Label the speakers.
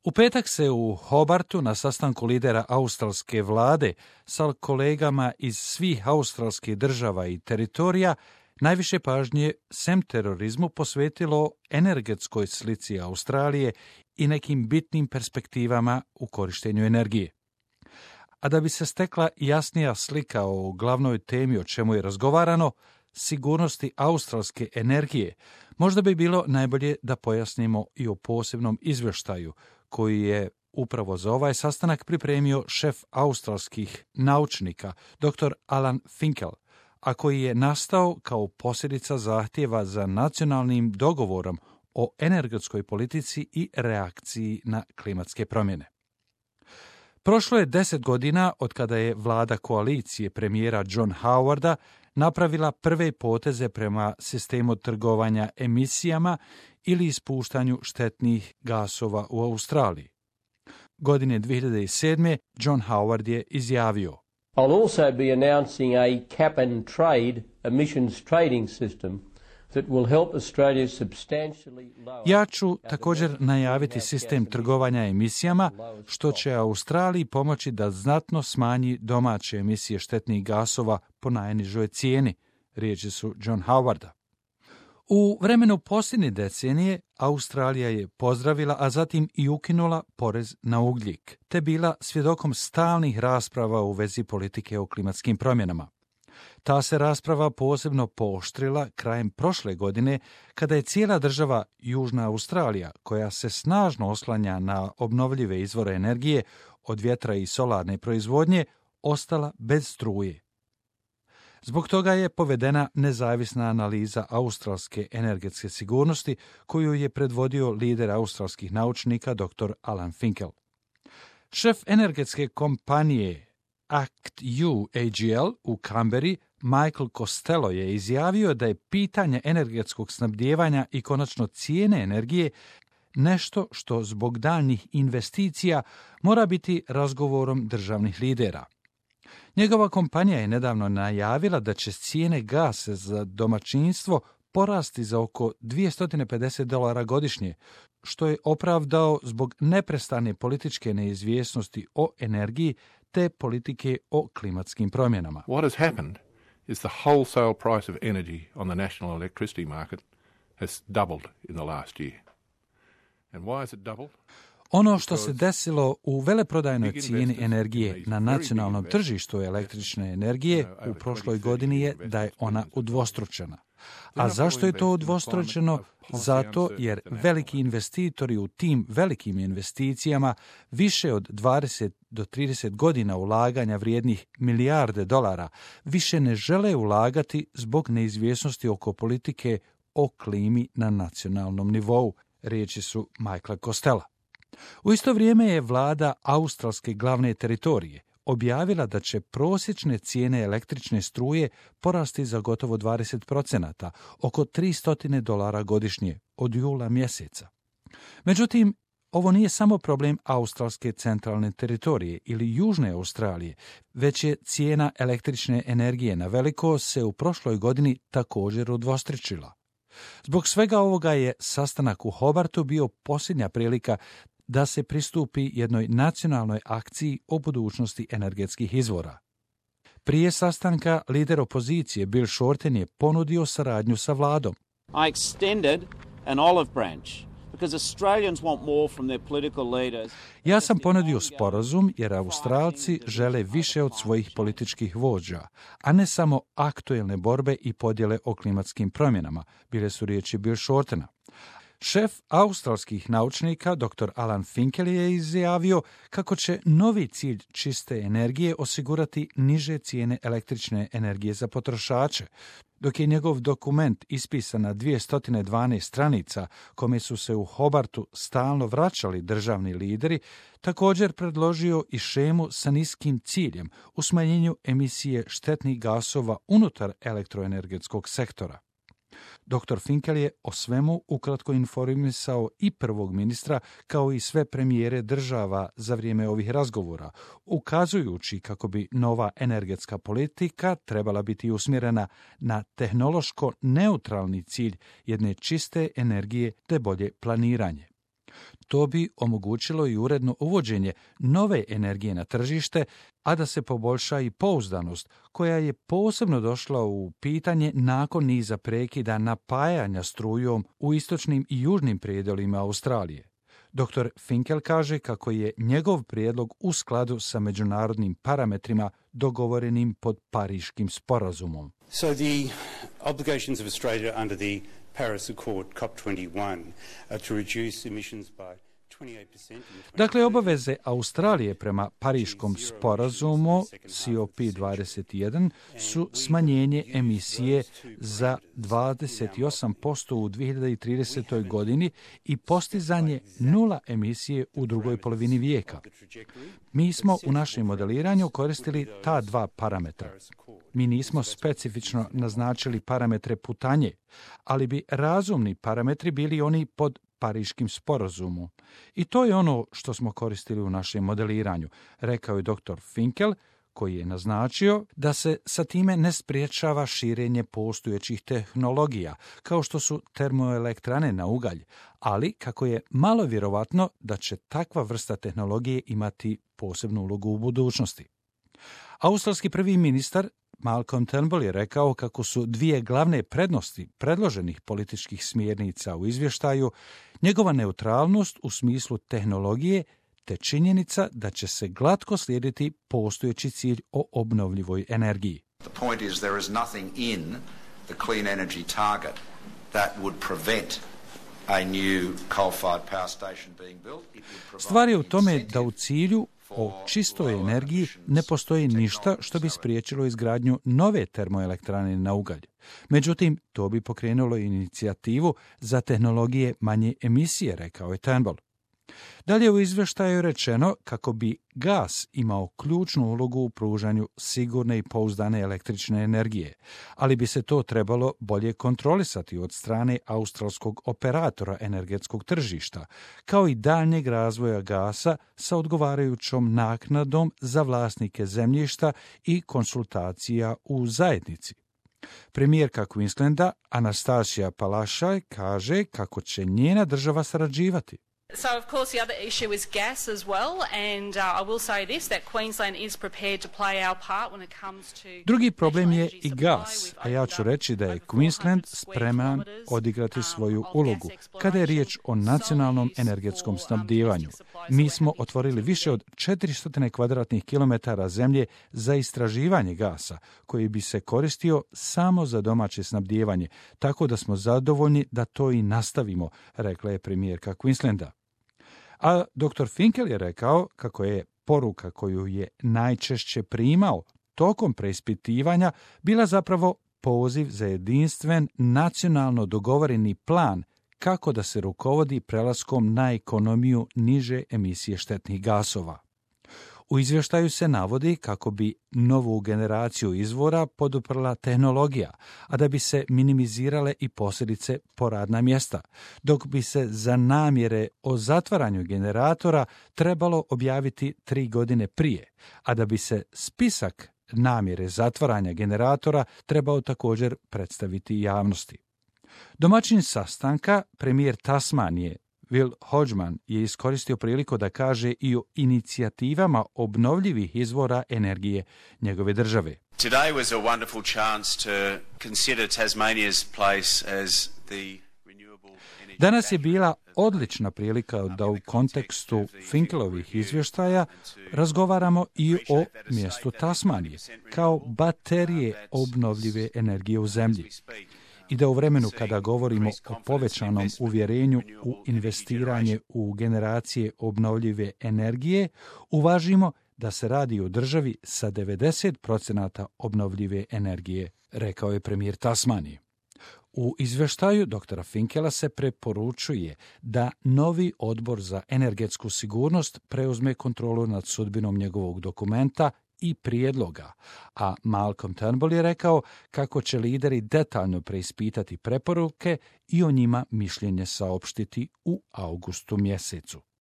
Speaker 1: U petak se u Hobartu na sastanku lidera australske vlade sa kolegama iz svih australskih država i teritorija najviše pažnje sem terorizmu posvetilo energetskoj slici Australije i nekim bitnim perspektivama u korištenju energije. A da bi se stekla jasnija slika o glavnoj temi o čemu je razgovarano, sigurnosti australske energije, možda bi bilo najbolje da pojasnimo i o posebnom izvještaju koji je upravo za ovaj sastanak pripremio šef australskih naučnika, dr. Alan Finkel, a koji je nastao kao posljedica zahtjeva za nacionalnim dogovorom o energetskoj politici i reakciji na klimatske promjene. Prošlo je 10 godina od kada je vlada koalicije premijera John Howarda napravila prve poteze prema sistemu trgovanja emisijama ili ispuštanju štetnih gasova u Australiji. Godine 2007. John Howard je izjavio:
Speaker 2: I'll also be announcing a cap and trade emissions trading system that will help Australia substantially lower.
Speaker 1: Ja ću također najaviti sistem trgovanja emisijama, što će Australiji pomoći da znatno smanji domaće emisije štetnih gasova po najnižoj cijeni, riječi su John Howarda. U vremenu posljednje decenije Australija je pozdravila, a zatim i ukinula porez na ugljik, te bila svjedokom stalnih rasprava u vezi politike o klimatskim promjenama. Ta se rasprava posebno pooštrila krajem prošle godine, kada je cijela država Južna Australija, koja se snažno oslanja na obnovljive izvore energije od vjetra i solarne proizvodnje, ostala bez struje. Zbog toga je povedena nezavisna analiza australske energetske sigurnosti koju je predvodio lider australskih naučnika dr. Alan Finkel. Šef energetske kompanije ACTU AGL u Canberri, Michael Costello, je izjavio da je pitanje energetskog snabdijevanja i konačno cijene energije nešto što zbog daljnjih investicija mora biti razgovorom državnih lidera. Njegova kompanija je nedavno najavila da će cijene gasa za domaćinstvo porasti za oko $250 godišnje, što je opravdao zbog neprestane političke neizvjesnosti o energiji te politike o klimatskim promjenama.
Speaker 3: What has happened is the wholesale price of energy on the national electricity market has doubled in the last year. And why is it doubled?
Speaker 1: Ono što se desilo u veleprodajnoj cijeni energije na nacionalnom tržištu električne energije u prošloj godini je da je ona udvostručena. A zašto je to udvostručeno? Zato jer veliki investitori u tim velikim investicijama više od 20 do 30 godina ulaganja vrijednih milijarde dolara više ne žele ulagati zbog neizvjesnosti oko politike o klimi na nacionalnom nivou, riječi su Michaela Costello. U isto vrijeme je vlada australske glavne teritorije objavila da će prosječne cijene električne struje porasti za gotovo 20%, oko $300 godišnje od jula mjeseca. Međutim, ovo nije samo problem australske centralne teritorije ili Južne Australije, već je cijena električne energije na veliko se u prošloj godini također udvostručila. Zbog svega ovoga je sastanak u Hobartu bio posljednja prilika da se pristupi jednoj nacionalnoj akciji o budućnosti energetskih izvora. Prije sastanka lider opozicije Bill Shorten je ponudio saradnju sa vladom.
Speaker 4: I extended an olive branch because Australians want more from their political leaders.
Speaker 1: Ja sam ponudio sporazum jer Australci žele više od svojih političkih vođa, a ne samo aktuelne borbe i podjele o klimatskim promjenama, bile su riječi Bill Shortena. Šef australskih naučnika, dr. Alan Finkel, je izjavio kako će novi cilj čiste energije osigurati niže cijene električne energije za potrošače, dok je njegov dokument ispisan na 212 stranica, kome su se u Hobartu stalno vraćali državni lideri, također predložio i šemu sa niskim ciljem u smanjenju emisije štetnih gasova unutar elektroenergetskog sektora. Dr. Finkel je o svemu ukratko informisao i prvog ministra kao i sve premijere država za vrijeme ovih razgovora, ukazujući kako bi nova energetska politika trebala biti usmjerena na tehnološko neutralni cilj jedne čiste energije te bolje planiranje. to bi omogućilo i uredno uvođenje nove energije na tržište, a da se poboljša i pouzdanost, koja je posebno došla u pitanje nakon niza prekida napajanja strujom u istočnim i južnim predjelima Australije. Dr. Finkel kaže kako je njegov prijedlog u skladu sa međunarodnim parametrima dogovorenim pod Pariškim sporazumom.
Speaker 5: So the obligations of Australia under the Paris Accord COP21 are to reduce emissions by 28%.
Speaker 1: Dakle, obaveze Australije prema Pariškom sporazumu COP21 su smanjenje emisije za 28% u 2030. godini i postizanje nula emisije u drugoj polovini vijeka. Mi smo u našem modeliranju koristili ta dva parametra. Mi nismo specifično naznačili parametre putanje, ali bi razumni parametri bili oni pod Pariškim sporazumom. I to je ono što smo koristili u našem modeliranju, rekao je dr. Finkel, koji je naznačio da se sa time ne spriječava širenje postojećih tehnologija, kao što su termoelektrane na ugalj, ali kako je malo vjerovatno da će takva vrsta tehnologije imati posebnu ulogu u budućnosti. Australski prvi ministar Malcolm Turnbull je rekao kako su dvije glavne prednosti predloženih političkih smjernica u izvještaju njegova neutralnost u smislu tehnologije te činjenica da će se glatko slijediti postojeći cilj o obnovljivoj energiji.
Speaker 6: The point is there is nothing in the clean energy target that would prevent a new coal-fired power station being built.
Speaker 1: Stvar je u tome da u cilju o čistoj energiji ne postoji ništa što bi spriječilo izgradnju nove termoelektrane na ugalj. Međutim, to bi pokrenulo inicijativu za tehnologije manje emisije, rekao je Turnbull. Dalje u izvještaju je rečeno kako bi gas imao ključnu ulogu u pružanju sigurne i pouzdane električne energije, ali bi se to trebalo bolje kontrolisati od strane australskog operatora energetskog tržišta, kao i daljnjeg razvoja gasa sa odgovarajućom naknadom za vlasnike zemljišta i konsultacija u zajednici. Premijerka Queenslanda Anastasia Palaszczuk kaže kako će njena država sarađivati.
Speaker 7: So, of course, the other issue is gas as well, and I will say this, that Queensland is prepared to play our part when it comes to...
Speaker 1: Drugi problem je i gas, a ja ću reći da je Queensland spreman odigrati svoju ulogu kada je riječ o nacionalnom energetskom snabdijevanju. Mi smo otvorili više od 400 kvadratnih kilometara zemlje za istraživanje gasa, koji bi se koristio samo za domaće snabdijevanje, tako da smo zadovoljni da to i nastavimo, rekla je premijerka Queenslanda. A dr. Finkel je rekao kako je poruka koju je najčešće primao tokom preispitivanja bila zapravo poziv za jedinstven nacionalno dogovoreni plan kako da se rukovodi prelaskom na ekonomiju niže emisije štetnih gasova. U izvještaju se navodi kako bi novu generaciju izvora poduprla tehnologija, a da bi se minimizirale i posljedice po radna mjesta, dok bi se za namjere o zatvaranju generatora trebalo objaviti 3 godine prije, a da bi se spisak namjere zatvaranja generatora trebao također predstaviti javnosti. Domaćin sastanka, premijer Tasmanije, Will Hodgman, je iskoristio priliku da kaže i o inicijativama obnovljivih izvora energije njegove države.
Speaker 8: Today was a wonderful chance to consider Tasmania's place as the renewable energy.
Speaker 1: Danas je bila odlična prilika da u kontekstu Finkelovih izvještaja razgovaramo i o mjestu Tasmanije kao baterije obnovljive energije u zemlji. I da u vremenu kada govorimo o povećanom uvjerenju u investiranje u generacije obnovljive energije, uvažimo da se radi o državi sa 90% obnovljive energije, rekao je premijer Tasmanije. U izvještaju dr. Finkela se preporučuje da novi odbor za energetsku sigurnost preuzme kontrolu nad sudbinom njegovog dokumenta i prijedloga, a Malcolm Turnbull je rekao kako će lideri detaljno preispitati preporuke i o njima mišljenje saopštiti u augustu mjesecu.